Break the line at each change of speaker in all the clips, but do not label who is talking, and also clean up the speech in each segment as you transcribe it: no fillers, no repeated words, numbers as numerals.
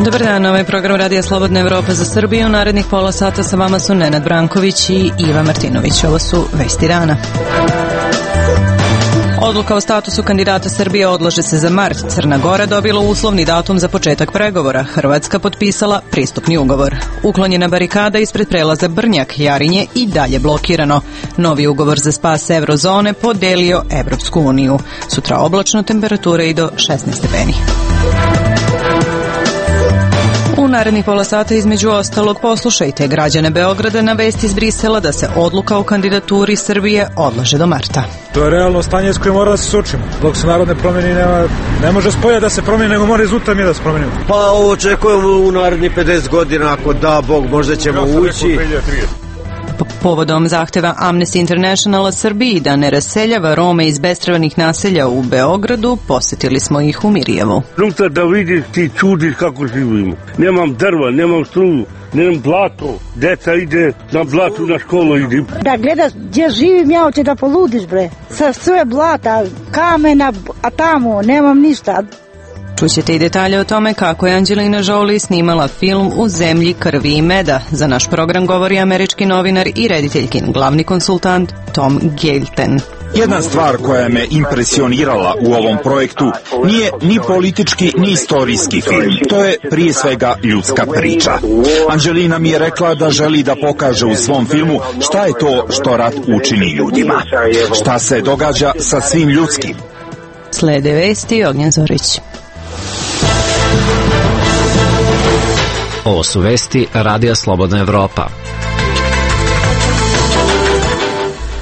Dobar dan, ovaj program Radija Slobodna Evropa za Srbiju. Narednih pola sata sa vama su Nenad Branković i Iva Martinović. Ovo su vesti dana. Odluka o statusu kandidata Srbije odlaže se za mart. Crna Gora dobila uslovni datum za početak pregovora. Hrvatska potpisala pristupni ugovor. Uklonjena barikada ispred prelaza Brnjak, Jarinje i dalje blokirano. Novi ugovor za spas eurozone podelio Evropsku uniju. Sutra oblačno, temperature i do 16 stepeni. U narednih pola sata između ostalog poslušajte građane Beograda na vesti iz Brisela da se odluka o kandidaturi Srbije odlaže do marta.
To je realno stanje s kojim mora da se suočimo. Dok se narod ne promeni, ne može spolja da se promeni, nego mora iznutra mi da se promenimo.
Pa ovo očekujemo u narednih 50 godina, ako da Bog, možda ćemo ući.
Povodom zahteva Amnesty Internationala Srbiji da ne raseljava Rome iz bespravnih naselja u Beogradu, posetili smo ih u Mirjevu.
Unutra da vidiš, ti čudiš kako živimo. Nemam drva, nemam struju, nemam blato. Deca ide na blatu, na školu ide.
Da gledaš gdje živim, ja hoće da poludiš, bre. Sa sve blata, kamena, a tamo nemam ništa.
Čućete i detalje o tome kako je Angelina Jolie snimala film U zemlji krvi i meda. Za naš program govori američki novinar i rediteljkin, glavni konsultant Tom Gelten.
Jedna stvar koja me impresionirala u ovom projektu nije ni politički ni istorijski film. To je prije svega ljudska priča. Angelina mi je rekla da želi da pokaže u svom filmu šta je to što rat učini ljudima. Šta se događa sa svim ljudskim.
Slede vesti, Ognjen Zorić.
Ovo su vesti Radija Slobodna Evropa.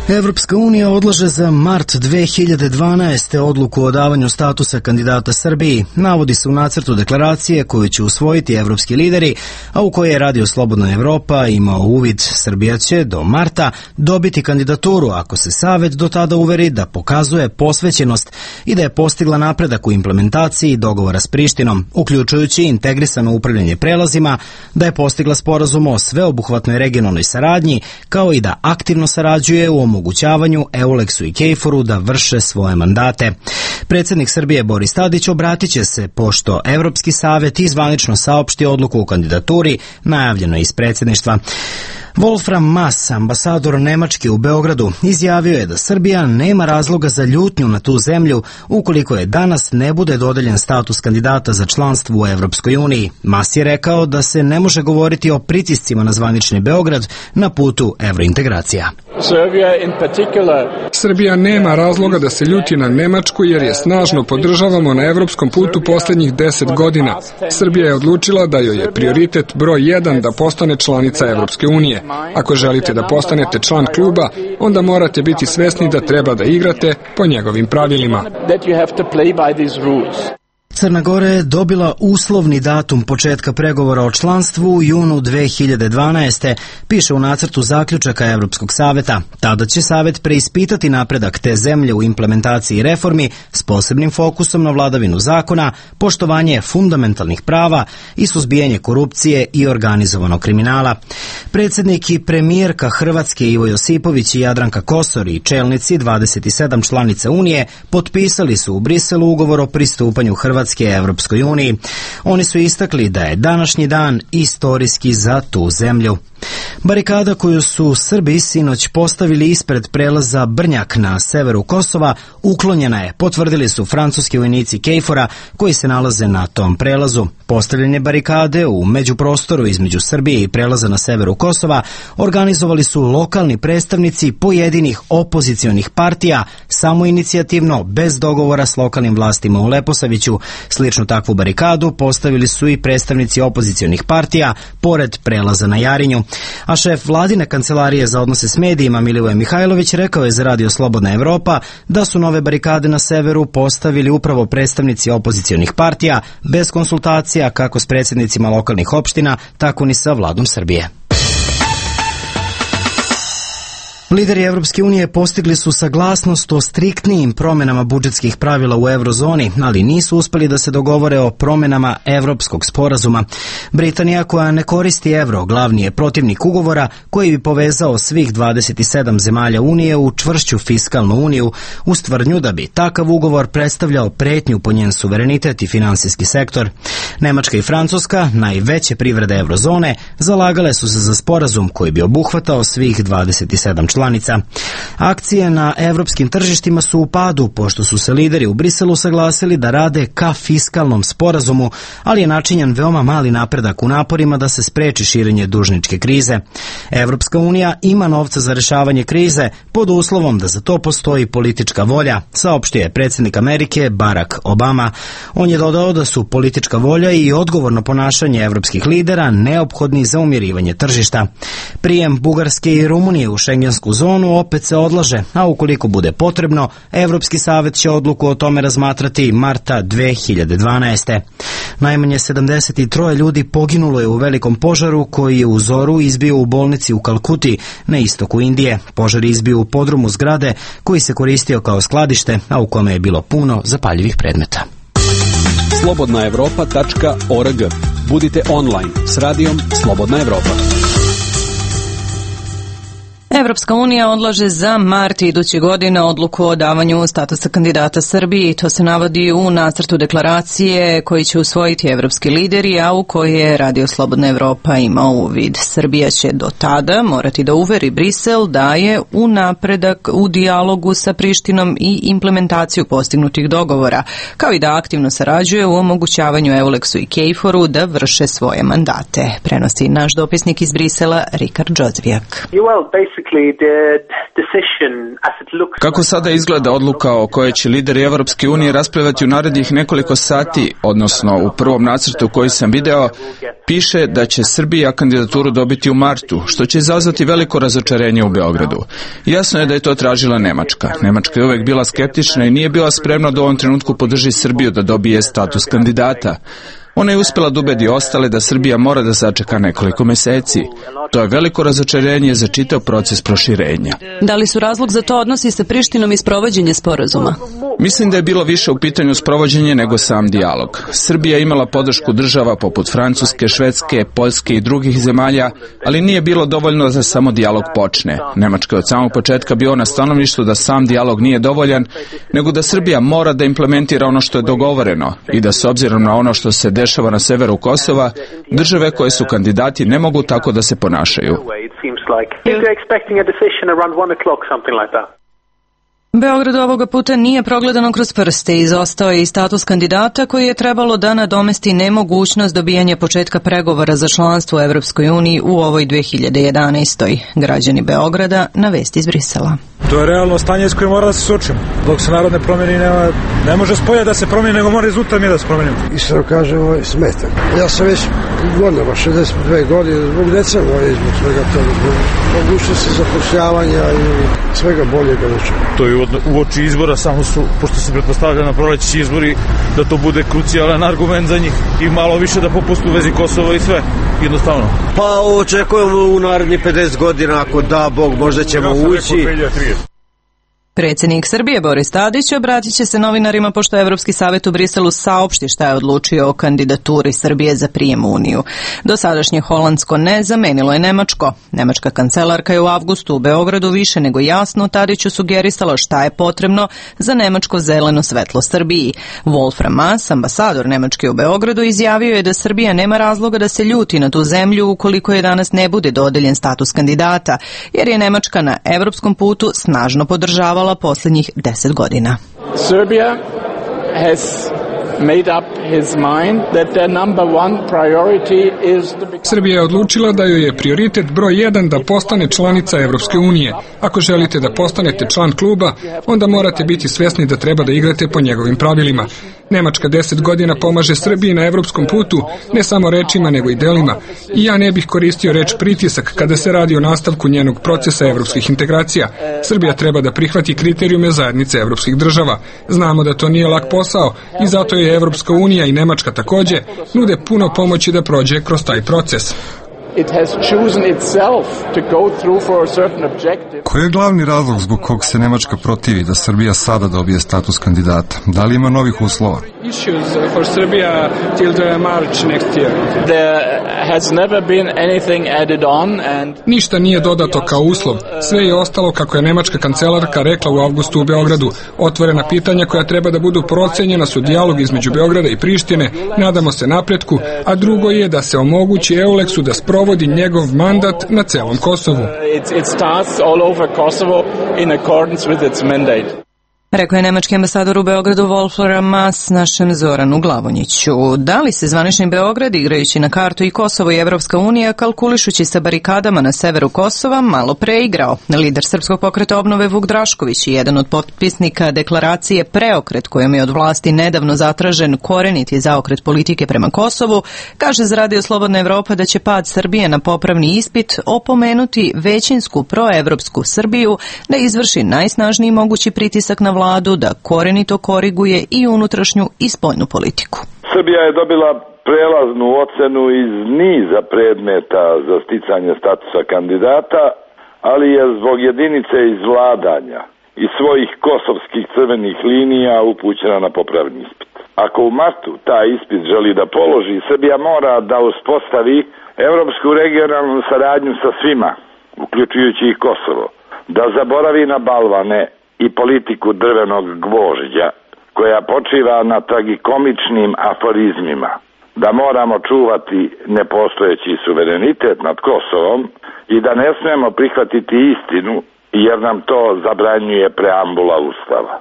Evropska unija odlaže za mart 2012. odluku o davanju statusa kandidata Srbiji. Navodi se u nacrtu deklaracije koju će usvojiti evropski lideri, a u kojoj je Radio Slobodna Evropa imao uvid. Srbija će do marta dobiti kandidaturu ako se Savet do tada uveri da pokazuje posvećenost i da je postigla napredak u implementaciji dogovora s Prištinom, uključujući integrisano upravljanje prelazima, da je postigla sporazum o sveobuhvatnoj regionalnoj saradnji, kao i da aktivno sarađuje u omogućavanju Euleksu i Kejforu da vrše svoje mandate. Predsjednik Srbije Boris Tadić obratit će se pošto Evropski savet i zvanično saopšti odluku o kandidaturi, najavljeno iz predsjedništva. Wolfram Maas, ambasador Nemačke u Beogradu, izjavio je da Srbija nema razloga za ljutnju na tu zemlju ukoliko je danas ne bude dodeljen status kandidata za članstvo u Evropskoj uniji. Maas je rekao da se ne može govoriti o pritiscima na zvanični Beograd na putu evrointegracija.
Srbija nema razloga da se ljuti na Nemačku jer je snažno podržavamo na evropskom putu posljednjih 10 godina. Srbija je odlučila da joj je prioritet broj 1 da postane članica Evropske unije. Ako želite da postanete član kluba, onda morate biti svesni da treba da igrate po njegovim pravilima.
Crna Gora je dobila uslovni datum početka pregovora o članstvu u junu 2012. Piše u nacrtu zaključaka Evropskog saveta. Tada će savet preispitati napredak te zemlje u implementaciji reformi s posebnim fokusom na vladavinu zakona, poštovanje fundamentalnih prava i suzbijanje korupcije i organizovanog kriminala. Predsjednik i premijerka Hrvatske Ivo Josipović i Jadranka Kosor i čelnici 27 članica Unije potpisali su u Briselu ugovor o pristupanju Hrvatske Evropskoj uniji. Oni su istakli da je današnji dan istorijski za tu zemlju. Barikada koju su Srbi sinoć postavili ispred prelaza Brnjak na severu Kosova uklonjena je, potvrdili su francuski vojnici Kejfora koji se nalaze na tom prelazu. Postavljanje barikade u međuprostoru između Srbije i prelaza na severu Kosova organizovali su lokalni predstavnici pojedinih opozicionih partija, samoinicijativno, bez dogovora s lokalnim vlastima u Leposaviću. Sličnu takvu barikadu postavili su i predstavnici opozicionih partija pored prelaza na Jarinju. A šef vladine kancelarije za odnose s medijima Milivoje Mihajlović rekao je za Radio Slobodna Evropa da su nove barikade na severu postavili upravo predstavnici opozicionih partija bez konsultacija kako s predsjednicima lokalnih opština, tako ni sa vladom Srbije. Lideri Evropske unije postigli su saglasnost o striktnijim promenama budžetskih pravila u eurozoni, ali nisu uspeli da se dogovore o promenama Evropskog sporazuma. Britanija, koja ne koristi evro, glavni je protivnik ugovora koji bi povezao svih 27 zemalja Unije u čvršću fiskalnu uniju, uz tvrdnju da bi takav ugovor predstavljao pretnju po njen suverenitet i finansijski sektor. Nemačka i Francuska, najveće privrede eurozone, zalagale su se za sporazum koji bi obuhvatao svih 27 članica. Akcije na evropskim tržištima su u padu, pošto su se lideri u Briselu saglasili da rade ka fiskalnom sporazumu, ali je načinjen veoma mali napredak u naporima da se spreči širenje dužničke krize. Evropska unija ima novca za rešavanje krize pod uslovom da za to postoji politička volja, saopštio je predsjednik Amerike Barack Obama. On je dodao da su politička volja i odgovorno ponašanje evropskih lidera neophodni za umirivanje tržišta. Prijem Bugarske i Rumunije u šengensku zonu opet se odlaže, a ukoliko bude potrebno, Evropski savet će odluku o tome razmatrati marta 2012. Najmanje 73 ljudi poginulo je u velikom požaru koji je u zoru izbio u bolnici u Kalkuti na istoku Indije. Požar je izbio u podrumu zgrade koji se koristio kao skladište, a u kome je bilo puno zapaljivih predmeta.
slobodnaevropa.org. Budite online s radijom Slobodna Evropa.
Evropska unija odlaže za mart iduće godine odluku o davanju statusa kandidata Srbiji. To se navodi u nacrtu deklaracije koji će usvojiti evropski lideri, a u koji je Radio Slobodna Evropa imao uvid. Srbija će do tada morati da uveri Brisel da je u napredak u dijalogu sa Prištinom i implementaciju postignutih dogovora, kao i da aktivno sarađuje u omogućavanju Euleksu i Kejforu da vrše svoje mandate. Prenosi naš dopisnik iz Brisela, Rikard Džozvijak.
Kako sada izgleda odluka o kojoj će lideri Evropske unije raspravljati u narednih nekoliko sati, odnosno u prvom nacrtu koji sam video, piše da će Srbija kandidaturu dobiti u martu, što će izazvati veliko razočarenje u Beogradu. Jasno je da je to tražila Nemačka. Nemačka je uvek bila skeptična i nije bila spremna da u ovom trenutku podrži Srbiju da dobije status kandidata. Ona je uspela da ubedi ostale da Srbija mora da sačeka nekoliko meseci. To je veliko razočarenje za čitav proces proširenja.
Da li su razlog za to odnosi sa Prištinom i sprovođenje sporazuma?
Mislim da je bilo više u pitanju sprovođenje nego sam dijalog. Srbija je imala podršku država poput Francuske, Švedske, Poljske i drugih zemalja, ali nije bilo dovoljno da samo dijalog počne. Nemačka je od samog početka bio na stanovištu da sam dijalog nije dovoljan, nego da Srbija mora da implementira ono što je dogovoreno i da s obzirom na ono što se dešava na severu Kosova, države koje su kandidati ne mogu tako da se ponašaju.
Beograd ovoga puta nije progledano kroz prste. Izostao je i status kandidata koji je trebalo da nadomesti nemogućnost dobijanja početka pregovora za članstvo u Evropskoj uniji u ovoj 2011. Građani Beograda na vesti iz Brisela.
To je realno stanje s kojim mora da se suočimo. Dok se narod ne promeni, ne može spolja da se promeni, nego mora iznutra mi da se promenimo.
Iskreno kažem, smeta. Ja sam već godinama, 62 godine, zbog deca moje, zbog svega toga, zbog mogućnosti zapošljavanja i svega boljega načina.
To je u oči izbora, samo su, pošto se pretpostavlja na proleći izbori, da to bude krucijalan argument za njih i malo više da popustu u vezi Kosova i sve, jednostavno.
Pa očekujemo u narednih 50 godina, ako da Bog, možda ćemo ući.
Predsjednik Srbije Boris Tadić obratit će se novinarima pošto Evropski savet u Briselu saopšti šta je odlučio o kandidaturi Srbije za prijem u Uniju. Dosadašnje holandsko ne zamenilo je nemačko. Nemačka kancelarka je u avgustu u Beogradu više nego jasno Tadiću sugerisala šta je potrebno za nemačko zeleno svetlo Srbiji. Wolfram Maas, ambasador Nemačke u Beogradu, izjavio je da Srbija nema razloga da se ljuti na tu zemlju ukoliko je danas ne bude dodeljen status kandidata, jer je Nemačka na evropskom putu snažno podržavala posljednjih 10 godina.
Serbia has made up his mind that their number one priority is to become...
Srbija je odlučila da joj je prioritet broj 1 da postane članica Evropske unije. Ako želite da postanete član kluba, onda morate biti svjesni da treba da igrate po njegovim pravilima. Nemačka 10 godina pomaže Srbiji na evropskom putu, ne samo rečima nego i delima. I ja ne bih koristio reč pritisak kada se radi o nastavku njenog procesa evropskih integracija. Srbija treba da prihvati kriterijume zajednice evropskih država. Znamo da to nije lak posao i zato je Evropska unija i Nemačka takođe nude puno pomoći da prođe kroz taj proces.
It has chosen itself to go through for a certain objective.
Koji je glavni razlog zbog kog se Nemačka protivi da Srbija sada dobije status kandidata? Da li ima novih uslova?
Issues for Serbia till the March next year.
There has never been anything added on and
ništa nije dodato kao uslov. Sve je ostalo kako je nemačka kancelarka rekla u avgustu u Beogradu. Otvorena pitanja koja treba da budu procenjena su dijalog između Beograda i Prištine, nadamo se napretku, a drugo je da se omogući EULEX-u da sprovodi njegov mandat na celom Kosovu.
It starts all over Kosovo in accordance with its mandate.
Rekao je nemački ambasador u Beogradu Wolfram Maas našem Zoranu Glavonjiću. Da li se zvanični Beograd, igrajući na kartu i Kosovo i Evropska unija, kalkulišući sa barikadama na severu Kosova, malo preigrao? Lider Srpskog pokreta obnove Vuk Drašković i jedan od potpisnika deklaracije Preokret, kojom je od vlasti nedavno zatražen koreniti zaokret politike prema Kosovu, kaže za Radio Slobodna Evropa da će pad Srbije na popravni ispit opomenuti većinsku proevropsku Srbiju da izvrši najsnažniji mogući pritisak na vladu da korenito koriguje i unutrašnju i spoljnu politiku.
Srbija je dobila prelaznu ocenu iz niza predmeta za sticanje statusa kandidata, ali je zbog jedinice izvladanja i svojih kosovskih crvenih linija upućena na popravni ispit. Ako u martu taj ispit želi da položi, Srbija mora da uspostavi evropsku regionalnu saradnju sa svima, uključujući i Kosovo, da zaboravi na balvane i politiku drvenog gvožđa koja počiva na tragikomičnim aforizmima, da moramo čuvati nepostojeći suverenitet nad Kosovom i da ne smemo prihvatiti istinu jer nam to zabranjuje preambula Ustava.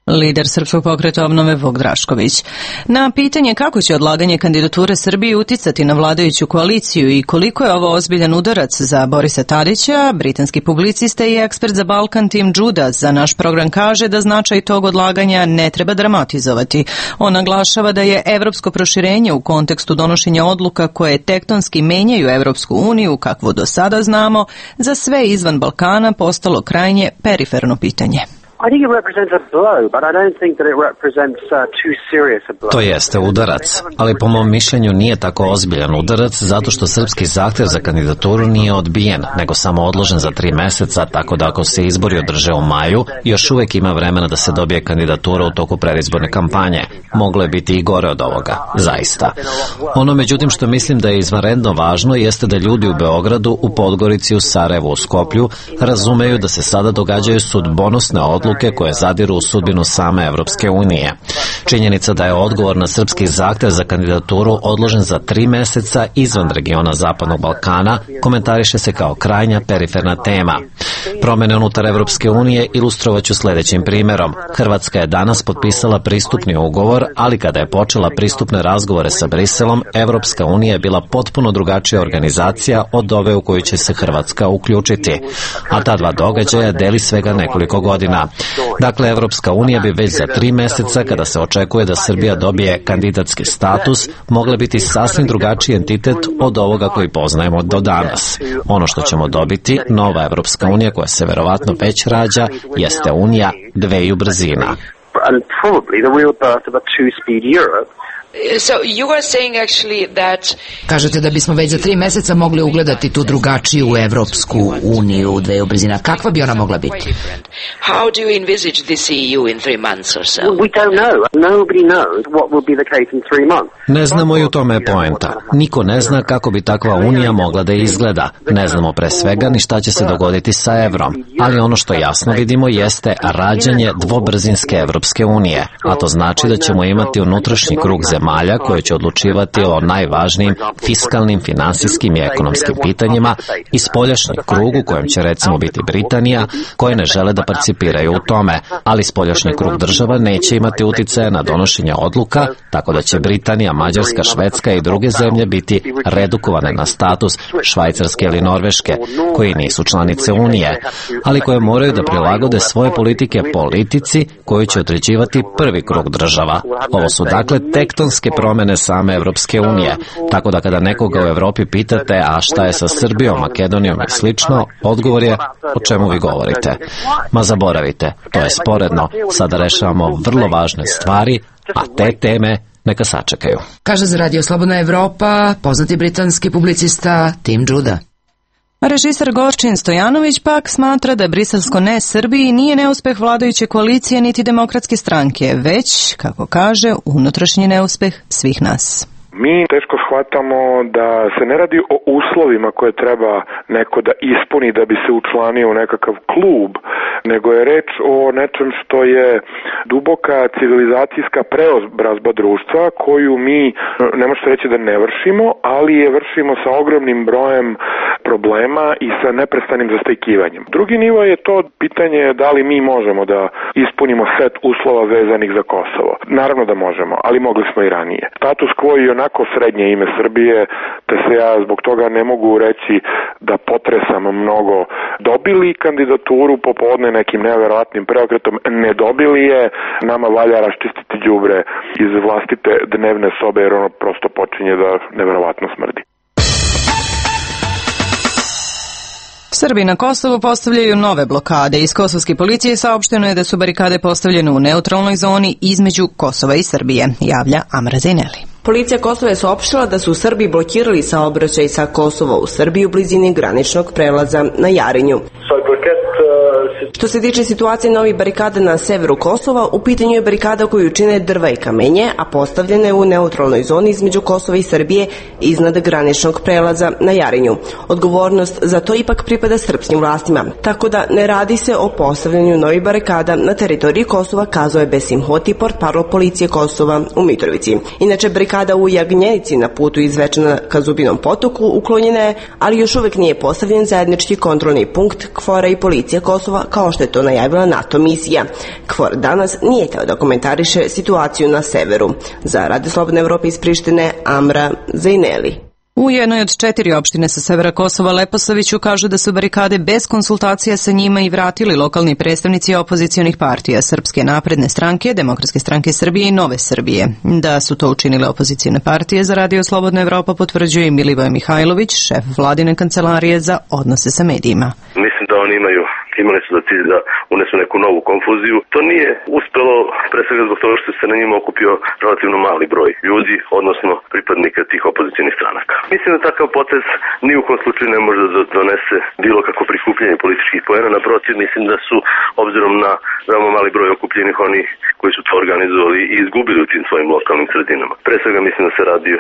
Lider Srpskog pokreta obnove Vuk Drašković. Na pitanje kako će odlaganje kandidature Srbije uticati na vladajuću koaliciju i koliko je ovo ozbiljan udarac za Borisa Tadića, britanski publicista i ekspert za Balkan Tim Judas za naš program kaže da značaj tog odlaganja ne treba dramatizovati. On naglašava da je evropsko proširenje u kontekstu donošenja odluka koje tektonski menjaju Evropsku uniju, kakvo do sada znamo, za sve izvan Balkana postalo krajnje periferno pitanje.
To jeste udarac, ali po mom mišljenju nije tako ozbiljan udarac zato što srpski zahtev za kandidaturu nije odbijen, nego samo odložen za 3 meseca, tako da ako se izbori održe u maju, još uvek ima vremena da se dobije kandidatura u toku predizborne kampanje. Moglo je biti i gore od ovoga, zaista. Ono međutim što mislim da je izvanredno važno jeste da ljudi u Beogradu, u Podgorici, u Sarajevu, u Skoplju razumeju da se sada događaju sudbonosne odluke koje zadiru u sudbinu same Evropske unije. Činjenica da je odgovor na srpski zahtev za kandidaturu odložen za 3 meseca izvan regiona Zapadnog Balkana komentariše se kao krajnja periferna tema. Promene unutar Evropske unije ilustrovaću sledećim primerom. Hrvatska je danas potpisala pristupni ugovor, ali kada je počela pristupne razgovore sa Briselom, Evropska unija je bila potpuno drugačija organizacija od ove u koju će se Hrvatska uključiti. A ta dva događaja deli svega nekoliko godina. Dakle, Evropska unija bi već za 3 meseca, kada se očekuje da Srbija dobije kandidatski status, mogla biti sasvim drugačiji entitet od ovoga koji poznajemo do danas. Ono što ćemo dobiti, nova Evropska unija koja se verovatno već rađa, jeste unija dveju brzina.
So you are saying actually that...
Kažete da bismo već za 3 meseca mogli ugledati tu drugačiju Evropsku uniju dveju brzina. Kakva bi ona mogla biti?
How do you envisage this EU in 3 months or so?
We don't know. Nobody knows what will be the case in 3 months.
Ne znamo i u tome je poenta. Niko ne zna kako bi takva unija mogla da izgleda. Ne znamo pre svega ni šta će se dogoditi sa evrom. Ali ono što jasno vidimo jeste rađanje dvobrzinske Evropske unije. A to znači da ćemo imati unutrašnji krug zemalja koje će odlučivati o najvažnijim fiskalnim, finansijskim i ekonomskim pitanjima i spoljašnji krug u kojem će recimo biti Britanija, koje ne žele da participiraju u tome, ali spoljašnji krug država neće imati uticaja na donošenje odluka, tako da će Britanija, Mađarska, Švedska i druge zemlje biti redukovane na status Švajcarske ili Norveške, koji nisu članice Unije, ali koje moraju da prilagode svoje politike politici koju će određivati prvi krug država. Ovo su dakle tektonske promene same Evropske unije, tako da kada nekoga u Evropi pitate a šta je sa Srbijom, Makedonijom i slično, odgovor je o čemu vi govorite. Ma zaboravite, to je sporedno, sada rešavamo vrlo važne stvari, a te teme neka sačekaju.
Kaže za Radio Slobodna Evropa poznati britanski publicista Tim Judah.
Režiser Gorčin Stojanović pak smatra da briselsko ne Srbiji nije neuspeh vladajuće koalicije niti demokratske stranke, već, kako kaže, unutrašnji neuspeh svih nas.
Mi teško shvatamo da se ne radi o uslovima koje treba neko da ispuni da bi se učlanio u nekakav klub, nego je reč o nečem što je duboka civilizacijska preobrazba društva koju mi, ne možete reći da ne vršimo, ali je vršimo sa ogromnim brojem problema i sa neprestanim zastajkivanjem. Drugi nivo je to pitanje da li mi možemo da ispunimo set uslova vezanih za Kosovo. Naravno da možemo, ali mogli smo i ranije. Status quo je onako srednje ime Srbije, te se ja zbog toga ne mogu reći da potresam mnogo. Dobili kandidaturu popodne nekim neverovatnim preokretom, ne dobili je, nama valja raščistiti đubre iz vlastite dnevne sobe jer ono prosto počinje da neverovatno smrdi.
Srbi na Kosovu postavljaju nove blokade. Iz kosovske policije saopšteno je da su barikade postavljene u neutralnoj zoni između Kosova i Srbije, javlja Amra Zaineli.
Policija Kosova je saopštila da su Srbi blokirali saobraćaj sa Kosova u Srbiji u blizini graničnog prelaza na Jarinju. Što se tiče situacije novih barikada na severu Kosova, u pitanju je barikada koju čine drva i kamenje, a postavljena je u neutralnoj zoni između Kosova i Srbije iznad graničnog prelaza na Jarinju. Odgovornost za to ipak pripada srpskim vlastima, tako da ne radi se o postavljanju novih barikada na teritoriji Kosova, kazao je Besim Hoti, portparol policije Kosova u Mitrovici. Inače, barikada u Jagnjenici na putu iz Zvečana ka Zubinom potoku uklonjena je, ali još uvek nije postavljen zajednički kontrolni punkt KFOR-a i policije Kosova, kao što je to najavila NATO misija. KFOR danas nije teo da komentariše situaciju na severu. Za Radio Slobodne Evrope iz Prištine, Amra Zaineli.
U jednoj od 4 opštine sa severa Kosova, Leposaviću, kažu da su barikade bez konsultacija sa njima i vratili lokalni predstavnici opozicionih partija Srpske napredne stranke, Demokratske stranke Srbije i Nove Srbije. Da su to učinile opozicione partije, za Radio Slobodna Evropa potvrđuje i Milivoje Mihajlović, šef vladine kancelarije za odnose sa medijima.
Mislim da oni imali su za cilj da unesu neku novu konfuziju. To nije uspelo, pre svega zbog toga što se na njima okupio relativno mali broj ljudi, odnosno pripadnika tih opozicionih stranaka. Mislim da takav potez ni u kom slučaju ne može da donese bilo kako prikupljanje političkih poena. Naprotiv, mislim da su, obzirom na veoma mali broj okupljenih, oni koji su to organizovali i izgubili u tim svojim lokalnim sredinama. Pre svega mislim da se radi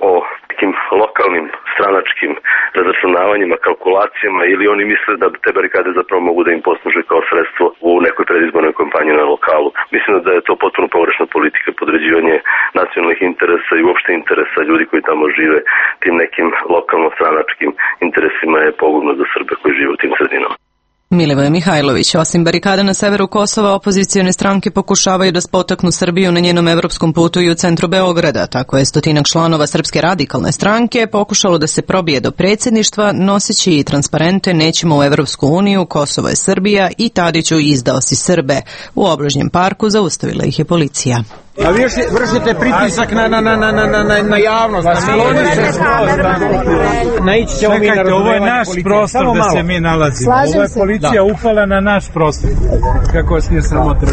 o nekim lokalnim stranačkim razračunavanjima, kalkulacijama, ili oni misle da te barikade zapravo mogu da im posluže kao sredstvo u nekoj predizbornoj kampanji na lokalu. Mislim da je to potpuno pogrešna politika, podređivanje nacionalnih interesa i uopšte interesa ljudi koji tamo žive tim nekim lokalno-stranačkim interesima je pogubno za Srbe koji žive u tim sredinama.
Milivoje Mihajlović, osim barikada na severu Kosova, opozicione stranke pokušavaju da spotaknu Srbiju na njenom evropskom putu i u centru Beograda. Tako je 100 članova Srpske radikalne stranke pokušalo da se probije do predsjedništva, noseći i transparente "Nećemo u Evropsku uniju, Kosovo je Srbija" i "Tadiću, izdao si Srbe". U obližnjem parku zaustavila ih je policija.
A vi vršite pritisak na javnost. Naići ćemo mi na razumevanje.
Ovo je naš prostor da se mi nalazimo. Ovo je policija upala na naš prostor. Kako vas nije sramota?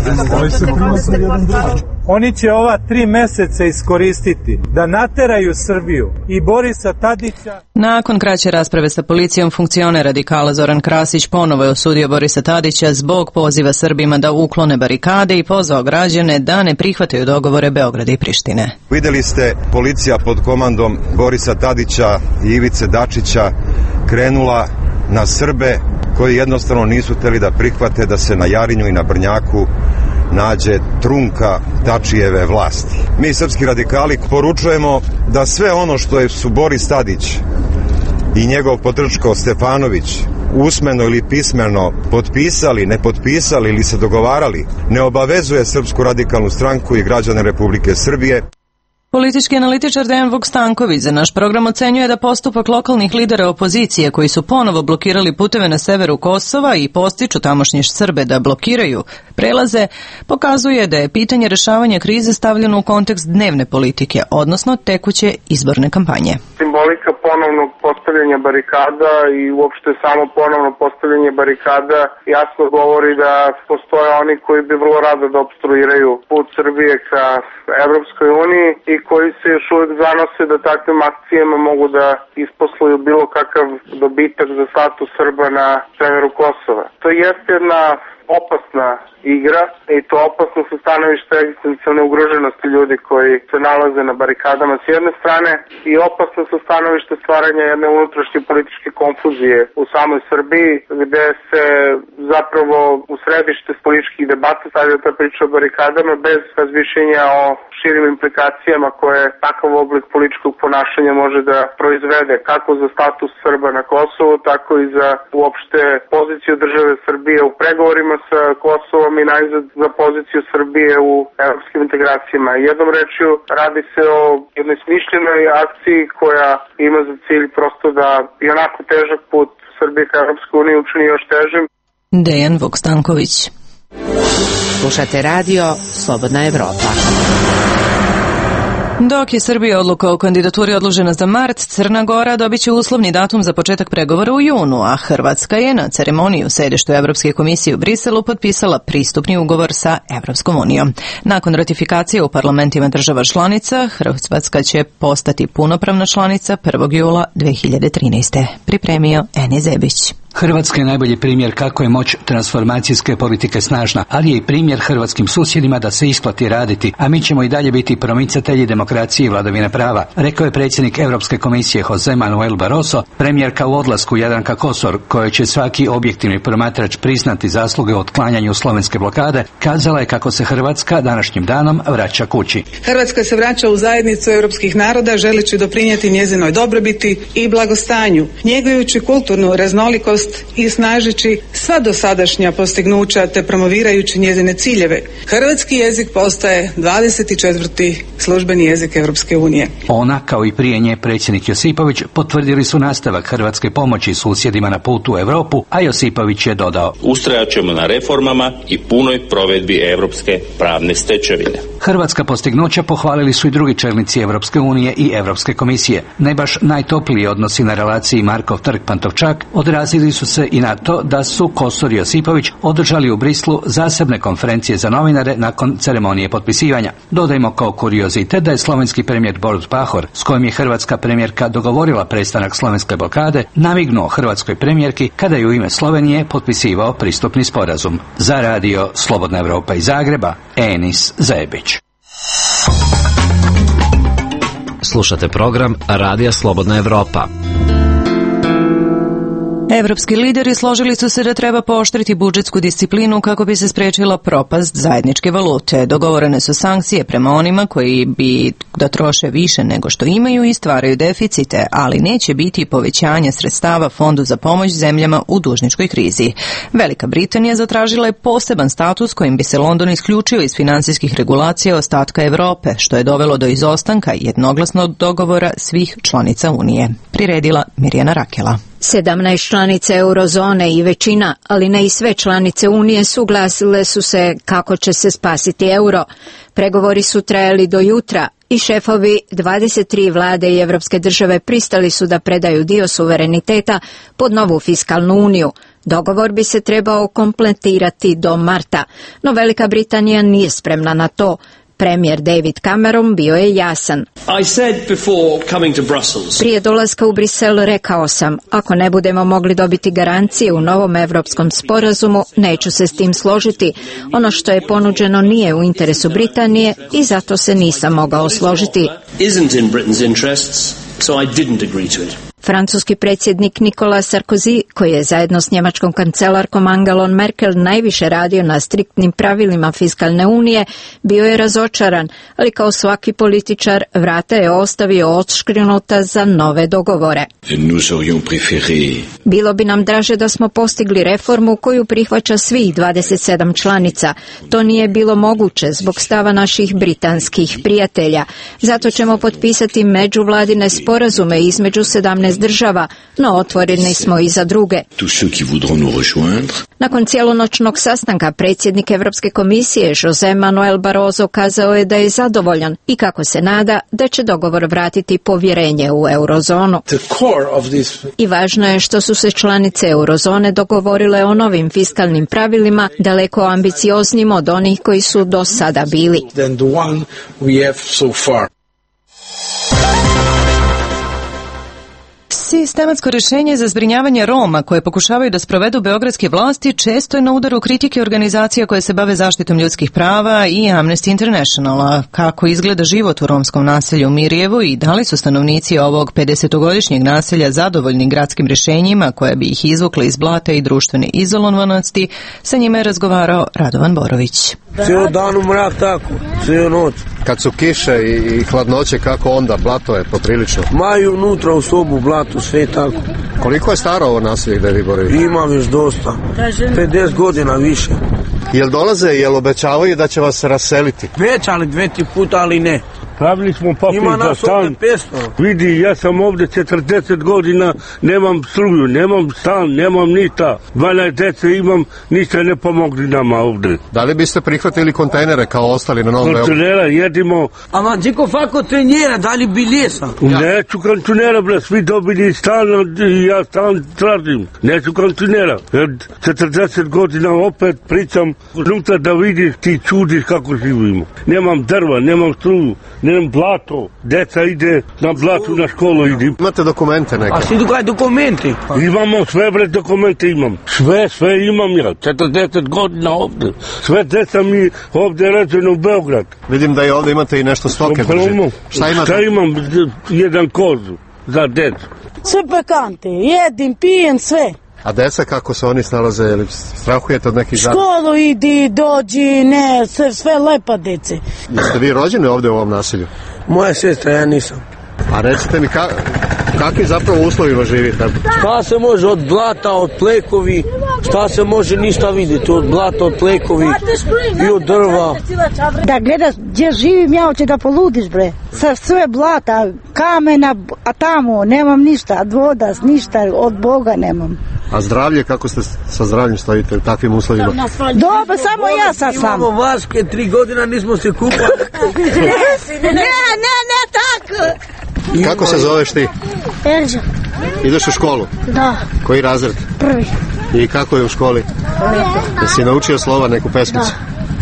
Oni će ova 3 meseca iskoristiti da nateraju Srbiju i Borisa Tadića.
Nakon kraće rasprave sa policijom, funkcioner radikala Zoran Krasić ponovo je osudio Borisa Tadića zbog poziva Srbima da uklone barikade i pozvao građane da ne prihvataju dogovore Beograda i Prištine.
Videli ste, policija pod komandom Borisa Tadića i Ivice Dačića krenula na Srbe koji jednostavno nisu hteli da prihvate da se na Jarinju i na Brnjaku nađe trunka Tačijeve vlasti. Mi srpski radikali poručujemo da sve ono što su Boris Tadić i njegov potrčko Stefanović usmeno ili pismeno potpisali, ne potpisali ili se dogovarali, ne obavezuje Srpsku radikalnu stranku i građane Republike Srbije.
Politički analitičar Dejan Vuk Stanković za naš program ocenjuje da postupak lokalnih lidera opozicije koji su ponovo blokirali puteve na severu Kosova i postiču tamošnje Srbe da blokiraju prelaze, pokazuje da je pitanje rešavanja krize stavljeno u kontekst dnevne politike, odnosno tekuće izborne kampanje.
Simbolika
ponovnog postavljanja barikada i uopšte samo ponovno postavljanje barikada jasno govori da postoje oni koji bi vrlo rado da opstruiraju put Srbije ka Evropskoj uniji i koji se još uvijek zanose da takvim akcijama mogu da isposluju bilo kakav dobitak za status Srba na severu Kosova. To jeste jedna opasna igra i to opasno sa stanovišta egzistencijalne ugroženosti ljudi koji se nalaze na barikadama s jedne strane i opasno sa stanovišta stvaranja jedne unutrašnje političke konfuzije u samoj Srbiji gde se zapravo u središte političkih debata stavlja ta priča o barikadama bez razmišljenja o širim implikacijama koje takav oblik političkog ponašanja može da proizvede kako za status Srba na Kosovu, tako i za uopšte poziciju države Srbije u pregovorima sa Kosovom i najzad za poziciju Srbije u evropskim integracijama. Jednom rečju radi se o jednoj smišljenoj akciji koja ima za cilj prosto da i onako težak put Srbije ka Evropskoj uniji učini još težim.
Dejan Vukstanković.
Slušate radio Slobodna Evropa.
Dok je Srbija odluka o kandidaturi odložena za mart, Crna Gora dobit će uslovni datum za početak pregovora u junu, a Hrvatska je na ceremoniji u sedištu Evropske komisije u Briselu potpisala pristupni ugovor sa Evropskom unijom. Nakon ratifikacije u parlamentima država članica, Hrvatska će postati punopravna članica 1. jula 2013. Pripremio Eni Zebić.
Hrvatska je najbolji primjer kako je moć transformacijske politike snažna, ali je i primjer hrvatskim susjedima da se isplati raditi, a mi ćemo i dalje biti promicatelji demokracije i vladavine prava, rekao je predsjednik Europske komisije Jose Manuel Barroso. Premijerka u odlasku Jadranka Kosor, kojoj će svaki objektivni promatrač priznati zasluge u otklanjanju slovenske blokade, kazala je kako se Hrvatska današnjim danom vraća kući.
Hrvatska se vraća u zajednicu europskih naroda želeći doprinijeti njezinoj dobrobiti i blagostanju, njegujući kulturnu raznolikost i snažeći sva dosadašnja postignuća te promovirajući njezine ciljeve. Hrvatski jezik postaje 24. službeni jezik Europske unije.
Ona, kao i prije nje predsjednik Josipović, potvrdili su nastavak hrvatske pomoći susjedima na putu u Europu, a Josipović je dodao:
ustrajat ćemo na reformama i punoj provedbi europske pravne stečevine.
Hrvatska postignuća pohvalili su i drugi čelnici Europske unije i Europske komisije. Ne baš najtopliji odnosi na relaciji Markov trg-Pantovčak odrazili su se i na to da su Kosor i Josipović održali u Brislu zasebne konferencije za novinare nakon ceremonije potpisivanja. Dodajmo kao kuriozitet da je slovenski premijer Borut Pahor, s kojim je hrvatska premijerka dogovorila prestanak slovenske blokade, namignuo hrvatskoj premijerki kada je u ime Slovenije potpisivao pristupni sporazum. Za radio Slobodna Evropa iz Zagreba, Enis Zebić.
Slušate program Radija Slobodna Evropa.
Evropski lideri složili su se da treba pooštriti budžetsku disciplinu kako bi se spriječila propast zajedničke valute. Dogovorene su sankcije prema onima koji bi da troše više nego što imaju i stvaraju deficite, ali neće biti povećanja sredstava Fondu za pomoć zemljama u dužničkoj krizi. Velika Britanija zatražila je poseban status kojim bi se London isključio iz financijskih regulacija ostatka Europe, što je dovelo do izostanka jednoglasnog dogovora svih članica Unije. Priredila Mirjana Rakela.
17 članica eurozone i većina, ali ne i sve članice Unije, suglasile su se kako će se spasiti euro. Pregovori su trajali do jutra i šefovi 23 vlade i evropske države pristali su da predaju dio suvereniteta pod novu fiskalnu uniju. Dogovor bi se trebao kompletirati do marta, no Velika Britanija nije spremna na to. Premijer David Cameron bio je jasan. Prije dolaska u Brisel rekao sam, ako ne budemo mogli dobiti garancije u novom evropskom sporazumu, neću se s tim složiti. Ono što je ponuđeno nije u interesu Britanije i zato se nisam mogao složiti. Francuski predsjednik Nicolas Sarkozy, koji je zajedno s njemačkom kancelarkom Angelom Merkel najviše radio na striktnim pravilima fiskalne unije, bio je razočaran, ali kao svaki političar vrata je ostavio odškrinuta za nove dogovore. Bilo bi nam draže da smo postigli reformu koju prihvaća svih 27 članica. To nije bilo moguće zbog stava naših britanskih prijatelja. Zato ćemo potpisati međuvladine sporazume između 17 14 država, no otvoreni smo i za druge. Nakon cijelonoćnog sastanka predsjednik Europske komisije José Manuel Barroso kazao je da je zadovoljan i kako se nada da će dogovor vratiti povjerenje u eurozonu. I važno je što su se članice eurozone dogovorile o novim fiskalnim pravilima daleko ambicioznijim od onih koji su do sada bili.
Sistematsko rješenje za zbrinjavanje Roma koje pokušavaju da sprovedu beogradske vlasti često je na udaru kritike organizacija koje se bave zaštitom ljudskih prava i Amnesty Internationala. Kako izgleda život u romskom naselju u Mirjevu i da li su stanovnici ovog 50-godišnjeg naselja zadovoljni gradskim rješenjima koje bi ih izvukle iz blata i društvene izolovanosti, sa njima je razgovarao Radovan Borović.
Cijelo dan u mrak tako, cijelo noć.
Kad su kiše i hladnoće, kako onda? Blato je poprilično.
Maju unutra u sobu blato, sve tako.
Koliko je staro ovo naselje gde vi borite?
Imam još dosta, 50 godina više.
Jel dolaze, jel obećavaju da će vas raseliti?
Obećali 2-3 puta, ali ne.
Pravili smo papir za stan. Vidi, ja sam ovdje 40 godina, nemam struju, nemam stan, nemam ništa. 12 djece imam, ništa ne pomogli nama ovdje.
Da li biste prihvatili kontejnere kao ostali na Novom Beogradu?
Kontejnera jedimo.
Ama džiko fako trenjera, da li biljesa?
Neću kontejnera, bre, svi dobili stan i ja stan tražim. Neću kontejnera. 40 godina opet pričam, unutra da vidiš, ti čudiš kako živimo. Nemam drva, nemam struju. Nemam blato, deca ide na blatu na školu idi.
Imate dokumente neke?
A svi dukaj dokumenti?
Imamo sve, bre, dokumente imam. Sve imam ja, 40 godina ovdje. Sve deca mi ovdje ređeno u Beograd.
Vidim da i ovdje imate i nešto stoke držite.
Šta imam? Jedan kozu za decu.
Sve pekante, jedim, pijem, sve.
A deca kako se oni snalaze, ili strahujete od nekih zada?
Školu idi, dođi, ne, sve lepa dece.
Jeste vi rođeni ovdje u ovom naselju?
Moja sestra, ja nisam.
A recite mi, kakvi zapravo uslovima živite?
Šta se može od blata, od plekovi, šta se može ništa vidjeti, od blata, od plekovi i od drva.
Da gledaš gdje živim, ja hoće da poludiš, bre. Sve blata, kamena, a tamo nemam ništa, od voda, ništa, od Boga nemam.
A zdravlje, kako ste sa zdravljem stojite u takvim uslovima?
Dobro, samo ja sad sam.
Imamo vaške, 3 godina nismo se kupali.
ne, tako.
Kako se zoveš ti?
Erđo.
Ideš u školu?
Da.
Koji razred?
Prvi.
I kako je u školi? Jesi naučio slova, neku pesmicu?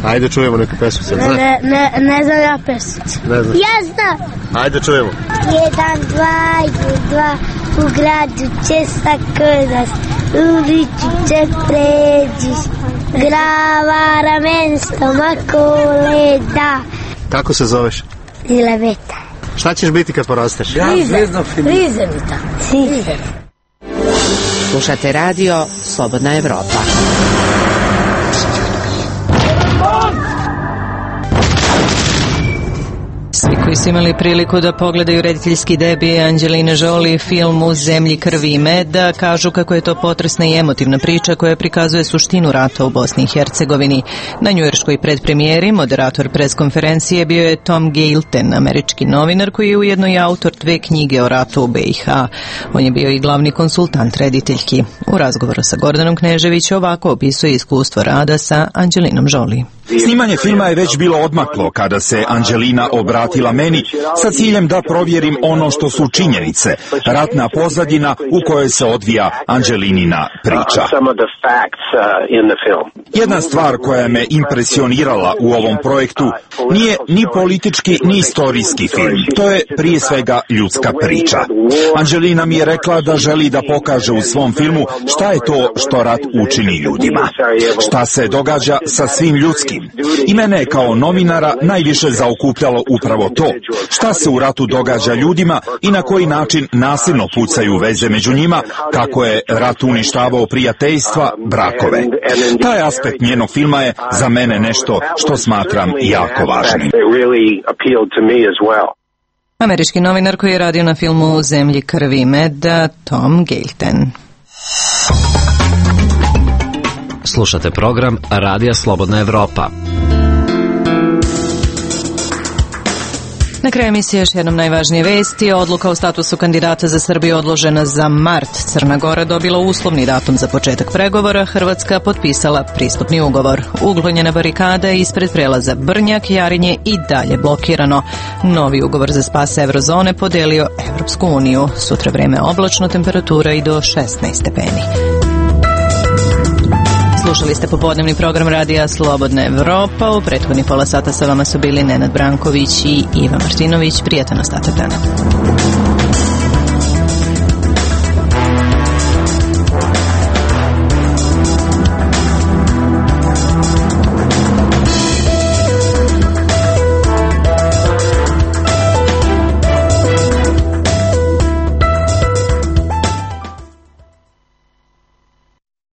Da. Ajde čujemo neku pesmicu.
Ne znam ja pesmicu.
Ne znam.
Ja znam.
Ajde čujemo.
1, 2, u gradu će sakodas, uliču će pređiš, glava, ramen, stomak, leda.
Kako se zoveš?
Ilaveta.
Šta ćeš biti kad porasteš?
Frizerita.
Slušate radio Slobodna Evropa.
Svi koji su imali priliku da pogledaju rediteljski debi Angelina Jolie film U zemlji krvi i meda, kažu kako je to potresna i emotivna priča koja prikazuje suštinu rata u Bosni i Hercegovini. Na njujorškoj predpremijeri moderator preskonferencije bio je Tom Gailton, američki novinar koji je ujedno i autor 2 knjige o ratu u BiH. On je bio i glavni konsultant rediteljki. U razgovoru sa Gordanom Knežević ovako opisuje iskustvo rada sa Angelinom Jolie.
Snimanje filma je već bilo odmaklo kada se Angelina obratila meni sa ciljem da provjerim ono što su činjenice, ratna pozadina u kojoj se odvija Angelinina priča. Jedna stvar koja me impresionirala u ovom projektu nije ni politički ni istorijski film. To je prije svega ljudska priča. Angelina mi je rekla da želi da pokaže u svom filmu šta je to što rat učini ljudima. Šta se događa sa svim ljudskim. I mene kao novinara najviše zaokupljalo upravo to. Šta se u ratu događa ljudima i na koji način nasilno pucaju veze među njima, kako je rat uništavao prijateljstva, brakove. Taj aspekt njenog filma je za mene nešto što smatram jako važnim.
Američki novinar koji je radio na filmu U zemlji krvi i meda, Tom Gailton.
Slušate program Radija Slobodna Evropa.
Na kraju emisije još jednom najvažnije vesti. Odluka o statusu kandidata za Srbiju odložena za mart. Crna Gora dobila uslovni datum za početak pregovora. Hrvatska potpisala pristupni ugovor. Uklonjena barikada ispred prelaza Brnjak, Jarinje i dalje blokirano. Novi ugovor za spas eurozone podelio Evropsku uniju. Sutra vreme oblačno, temperatura i do 16 stepeni. Slušali ste popodnevni program radija Slobodna Evropa. U prethodnih pola sata sa vama su bili Nenad Branković i Iva Martinović. Prijatan ostatak dana.